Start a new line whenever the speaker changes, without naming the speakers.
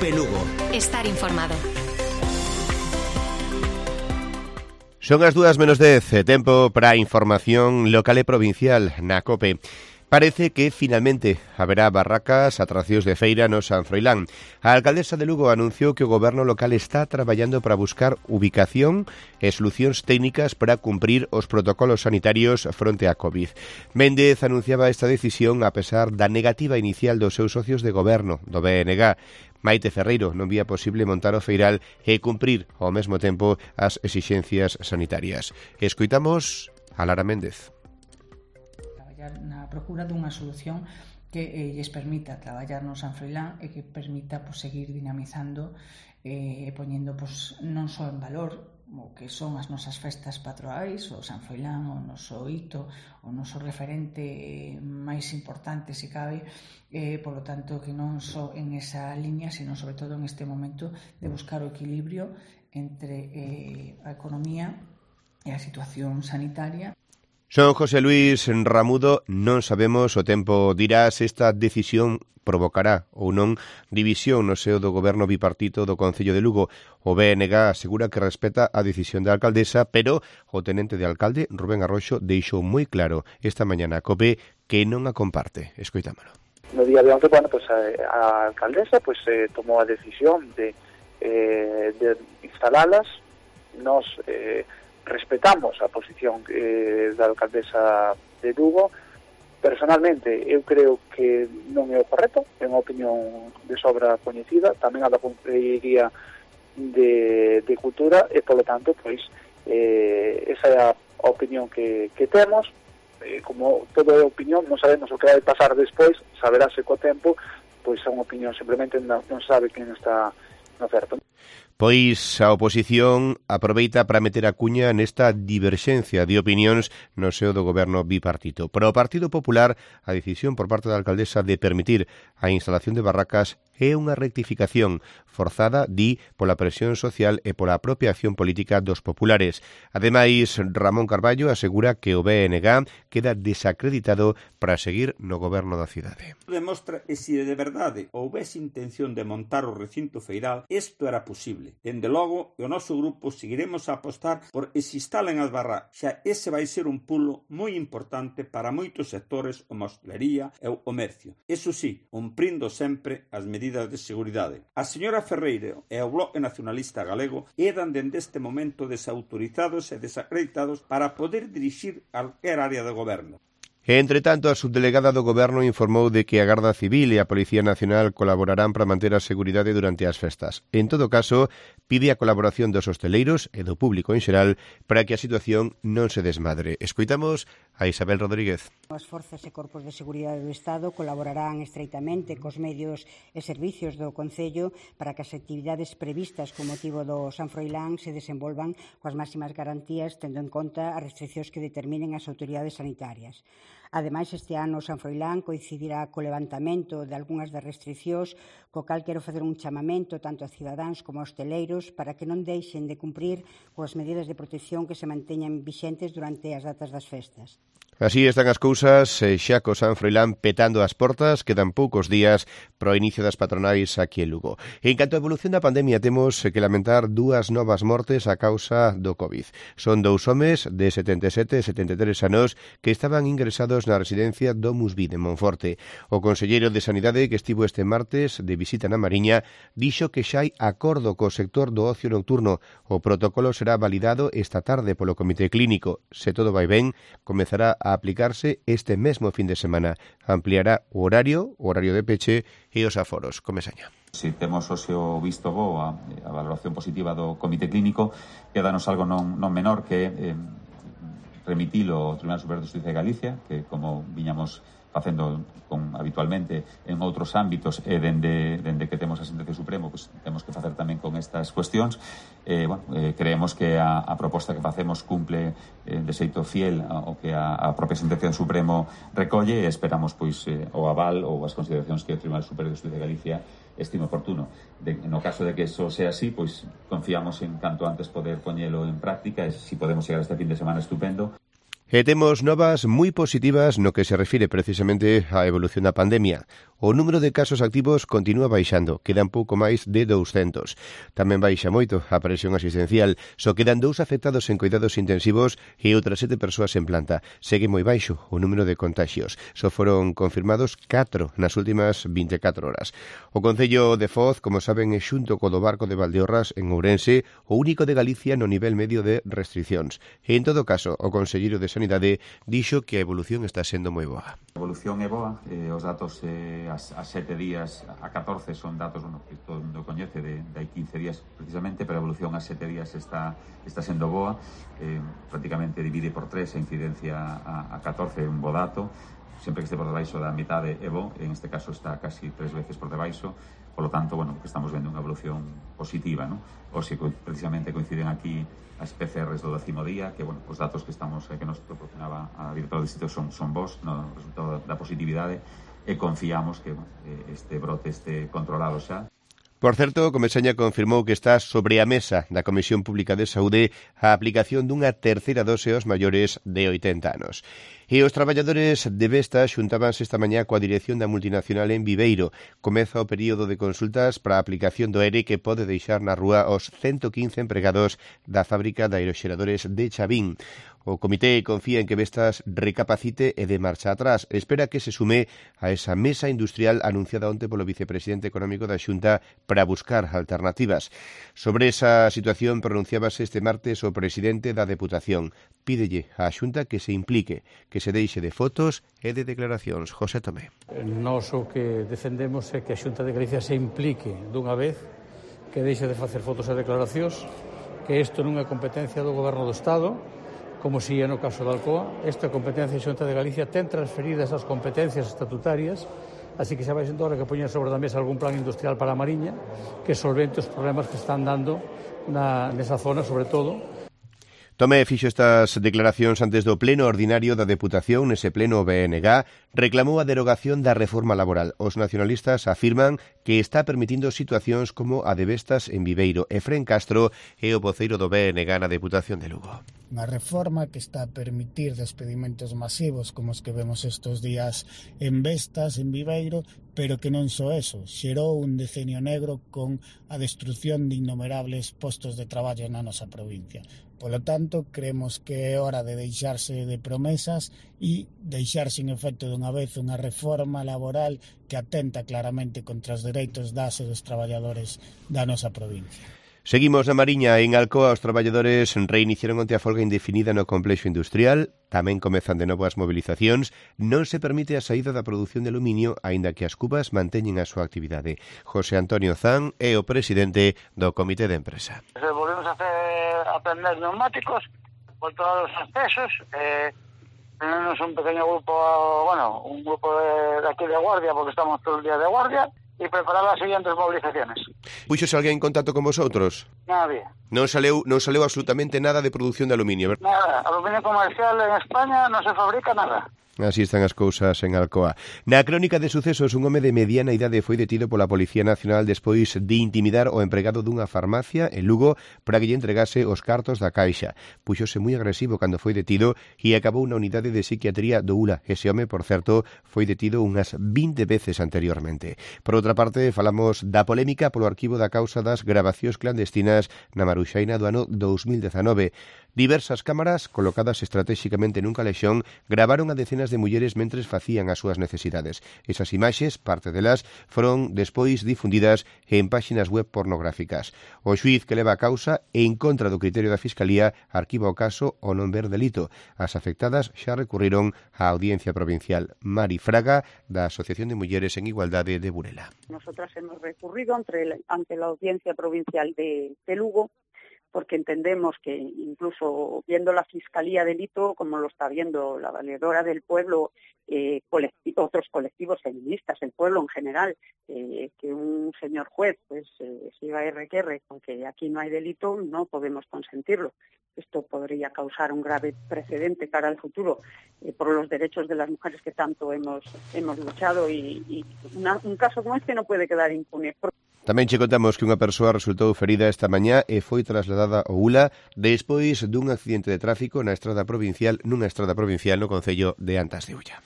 COPE Lugo.
Estar informado.
Son as 2:10, tempo para a información local e provincial na COPE. Parece que finalmente haberá barracas, atraccións de feira no San Froilán. A alcaldesa de Lugo anunciou que o goberno local está traballando para buscar ubicación e solucións técnicas para cumprir os protocolos sanitarios fronte á COVID. Méndez anunciaba esta decisión a pesar da negativa inicial dos seus socios de goberno, do BNG. Maite Ferreiro non vía posible montar o feiral e cumprir ao mesmo tempo as exixencias sanitarias. Escoitamos a Lara Méndez.
Na procura dunha solución que lles permita traballar no San Froilán e que permita seguir dinamizando e poñendo non só en valor o que son as nosas festas patroais, o San Froilán, o noso hito, o noso referente máis importante, se cabe, polo tanto que non só en esa liña, sino sobre todo en este momento de buscar o equilibrio entre a economía e a situación sanitaria.
Son José Luis Ramudo, non sabemos, o tempo dirá se esta decisión provocará ou non división no seo do goberno bipartito do Concello de Lugo. O BNG asegura que respeta a decisión da alcaldesa, pero o tenente de alcalde, Rubén Arroxo, deixou moi claro esta mañá na COPE que non a comparte. Escoitámolo.
No día de onte, a alcaldesa tomou a decisión de instalalas. Nos respetamos a posición da alcaldesa de Lugo. Personalmente, eu creo que non é o correcto, é unha opinión de sobra coñecida, tamén a da Consellería de Cultura, e, polo tanto, esa é a opinión que temos. Como toda é opinión, non sabemos o que vai pasar despois, saberase co tempo, é unha opinión, simplemente non sabe quen está no certo.
Pois a oposición aproveita para meter a cuña nesta diverxencia de opinións no seo do goberno bipartito. Para o Partido Popular, a decisión por parte da alcaldesa de permitir a instalación de barracas é unha rectificación forzada, di, pola presión social e pola propia acción política dos populares. Ademais, Ramón Carballo asegura que o BNG queda desacreditado para seguir no goberno da cidade.
Demostra que se de verdade houvese intención de montar o recinto feiral, isto era posible. Dende logo, o noso grupo seguiremos a apostar por que se instalen as barracas. Xa ese vai ser un pulo moi importante para moitos sectores como a hostelería e o comercio. Eso sí, cumprindo sempre as medidas de seguridade. A señora Ferreiro e o Bloque Nacionalista Galego quedan dende este momento desautorizados e desacreditados para poder dirixir calquer área de goberno.
Entre tanto, a subdelegada do Goberno informou de que a Garda Civil e a Policía Nacional colaborarán para manter a seguridade durante as festas. En todo caso, pide a colaboración dos hosteleiros e do público en xeral para que a situación non se desmadre. Escoitamos a Isabel Rodríguez.
As forzas e corpos de seguridade do Estado colaborarán estreitamente cos medios e servicios do Concello para que as actividades previstas con motivo do San Froilán se desenvolvan coas máximas garantías, tendo en conta as restriccións que determinen as autoridades sanitarias. Ademais, este ano o San Froilán coincidirá co levantamento de algunhas das restriccións, co cal quero facer un chamamento tanto a cidadáns como a hosteleiros para que non deixen de cumprir coas medidas de protección que se manteñan vixentes durante as datas das festas.
Así están as cousas, xa co San Froilán petando as portas, quedan poucos días para o inicio das patronais aquí en Lugo. En canto a evolución da pandemia, temos que lamentar 2 novas mortes a causa do COVID. Son 2 homes de 77 e 73 anos que estaban ingresados na residencia Domus Vid en Monforte. O conselleiro de Sanidade, que estivo este martes de visita na Mariña, dixo que xa hai acordo co sector do ocio nocturno. O protocolo será validado esta tarde polo Comité Clínico. Se todo vai ben, comezará a aplicarse este mesmo fin de semana. Ampliará o horario de peche e os aforos. Comesaña.
Se temos o seu visto bo a valoración positiva do Comité Clínico, quedanos algo non menor que remitilo ao Tribunal Superior de Xustiza de Galicia, que como viñamos facendo habitualmente en outros ámbitos e dende que temos a sentencia Supremo, temos que facer tamén con estas cuestións. Creemos que a proposta que facemos cumple de xeito fiel ao que a propia sentencia do Supremo recolle e esperamos o aval ou as consideracións que o Tribunal Superior de Xustiza de Galicia estime oportuno. No caso de que eso sea así, confiamos en canto antes poder poñelo en práctica e se podemos chegar este fin de semana estupendo.
E temos novas moi positivas no que se refire precisamente á evolución da pandemia. O número de casos activos continúa baixando, quedan pouco máis de 200. Tamén baixa moito a presión asistencial, só quedan 2 afectados en cuidados intensivos e outras 7 persoas en planta. Segue moi baixo o número de contagios. Só foron confirmados 4 nas últimas 24 horas. O Concello de Foz, como saben, é xunto co do Barco de Valdeorras en Ourense, o único de Galicia no nivel medio de restriccións. E, en todo caso, o conselleiro de Sanidade dixo que a evolución está sendo moi boa.
A evolución é boa, os datos a 7 días, a 14 son datos que todo o mundo coñece de hai 15 días precisamente, pero a evolución a 7 días está sendo boa, prácticamente divide por 3 a incidencia a 14 é un bo dato, sempre que este por debaixo da mitade é bo, en este caso está casi 3 veces por debaixo, polo tanto, que estamos vendo unha evolución positiva, non? Hoxe precisamente coinciden aquí as PCRs do 10º día, que, os datos que nos proporcionaba a directora do distrito son bons, no resultado da positividade, e confiamos que este brote este controlado xa.
Por certo, Comesaña confirmou que está sobre a mesa da Comisión Pública de Saúde a aplicación dunha terceira dose aos maiores de 80 anos. E os traballadores de Vestas xuntábanse esta mañá coa dirección da multinacional en Viveiro. Comeza o período de consultas para a aplicación do ERE que pode deixar na rúa os 115 empregados da fábrica de aeroxeradores de Chavín. O comité confía en que Vestas recapacite e de marcha atrás. Espera que se sume a esa mesa industrial anunciada onte polo vicepresidente económico da Xunta para buscar alternativas. Sobre esa situación pronunciábase este martes o presidente da Deputación. Pídelle á Xunta que se implique, que se deixe de fotos e de declaracións. José Tomé.
Nós o que defendemos é que a Xunta de Galicia se implique dunha vez, que deixe de facer fotos e declaracións, que isto non é competencia do Goberno do Estado, como si é no caso da Alcoa. Esta competencia da Xunta de Galicia ten transferidas as competencias estatutarias, así que xa vai sendo hora que poñan sobre a mesa algún plan industrial para a Mariña que solvente os problemas que están dando nesa zona, sobre todo.
Tomé fixo estas declaracións antes do pleno ordinario da Deputación. Nese pleno o BNG reclamou a derogación da reforma laboral. Os nacionalistas afirman que está permitindo situacións como a de Vestas en Viveiro. Efrén Castro é o voceiro do BNG na Deputación de Lugo.
Unha reforma que está a permitir despedimentos masivos como os que vemos estes días en Vestas, en Viveiro, pero que non só eso, xerou un decenio negro con a destrucción de innumerables postos de traballo na nosa provincia. Polo tanto, creemos que é hora de deixarse de promesas e deixar sin efecto dunha vez unha reforma laboral que atenta claramente contra os dereitos das e dos traballadores da nosa provincia.
Seguimos na Mariña. En Alcoa, os traballadores reiniciaron onte a folga indefinida no complexo industrial. Tamén comezan de novo as movilizacións. Non se permite a saída da produción de aluminio, aínda que as cubas manteñen a súa actividade. José Antonio Zan é o presidente do Comité de Empresa.
Volvemos a aprender neumáticos por todos os accesos. Tenemos un pequeño grupo, un grupo de aquí de guardia, porque estamos todo el día de guardia, e preparar as seguintes movilizaciones.
Puxos alguén en contacto con vosotros?
Nadie.
Non saleu absolutamente nada de produción de aluminio, verdad?
Nada. Aluminio comercial en España non se fabrica nada.
Así están as cousas en Alcoa. Na crónica de sucesos, un home de mediana idade foi detido pola Policía Nacional despois de intimidar o empregado dunha farmacia en Lugo para que lle entregase os cartos da caixa. Puxose moi agresivo cando foi detido e acabou na unidade de psiquiatría do ULA. Ese home, por certo, foi detido unhas 20 veces anteriormente. Por outra parte, falamos da polémica polo arquivo da causa das grabacións clandestinas na Maruxaina do ano 2019. Diversas cámaras, colocadas estratégicamente nun calexón, gravaron a decenas de mulleres mentres facían as súas necesidades. Esas imaxes, parte delas, foron despois difundidas en páxinas web pornográficas. O xuíz que leva a causa, en contra do criterio da Fiscalía, arquiva o caso ao non ver delito. As afectadas xa recurriron á Audiencia Provincial. Mari Fraga, da Asociación de Mulleres en Igualdade de Burela.
Nosotras hemos recurrido ante la Audiencia Provincial de Lugo, porque entendemos que incluso viendo la Fiscalía delito, como lo está viendo la Valedora del Pueblo, otros colectivos feministas, el pueblo en general, que un señor juez siga RQR con que aquí no hay delito, no podemos consentirlo. Esto podría causar un grave precedente cara al futuro por los derechos de las mujeres que tanto hemos luchado y un caso como este no puede quedar impune.
Tamén che contamos que unha persoa resultou ferida esta mañá e foi trasladada ao ULA despois dun accidente de tráfico nunha estrada provincial no concello de Antas de Ulla.